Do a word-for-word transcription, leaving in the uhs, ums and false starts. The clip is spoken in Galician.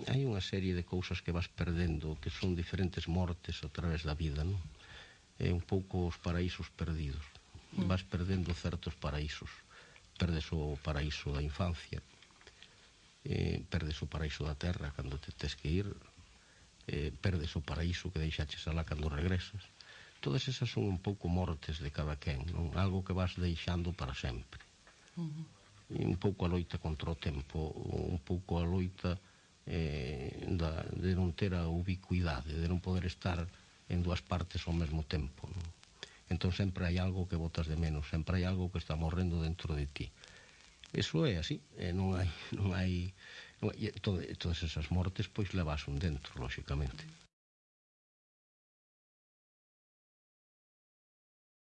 hai unha serie de cousas que vas perdendo, que son diferentes mortes a través da vida, non? É un pouco os paraísos perdidos. Vas perdendo certos paraísos. Perdes o paraíso da infancia, eh, perdes o paraíso da terra cando te tes que ir, eh, perdes o paraíso que deixaches alá cando regresas. Todas esas son un pouco mortes de cada quen, non? Algo que vas deixando para sempre. E un pouco a loita contra o tempo, un pouco a loita eh, da, de non ter a ubicuidade, de non poder estar en dúas partes ao mesmo tempo, non? Entón sempre hai algo que botas de menos, sempre hai algo que está morrendo dentro de ti. Eso é así, eh, non hai, non hai, non hai todo, todas esas mortes pois levas un dentro, lóxicamente.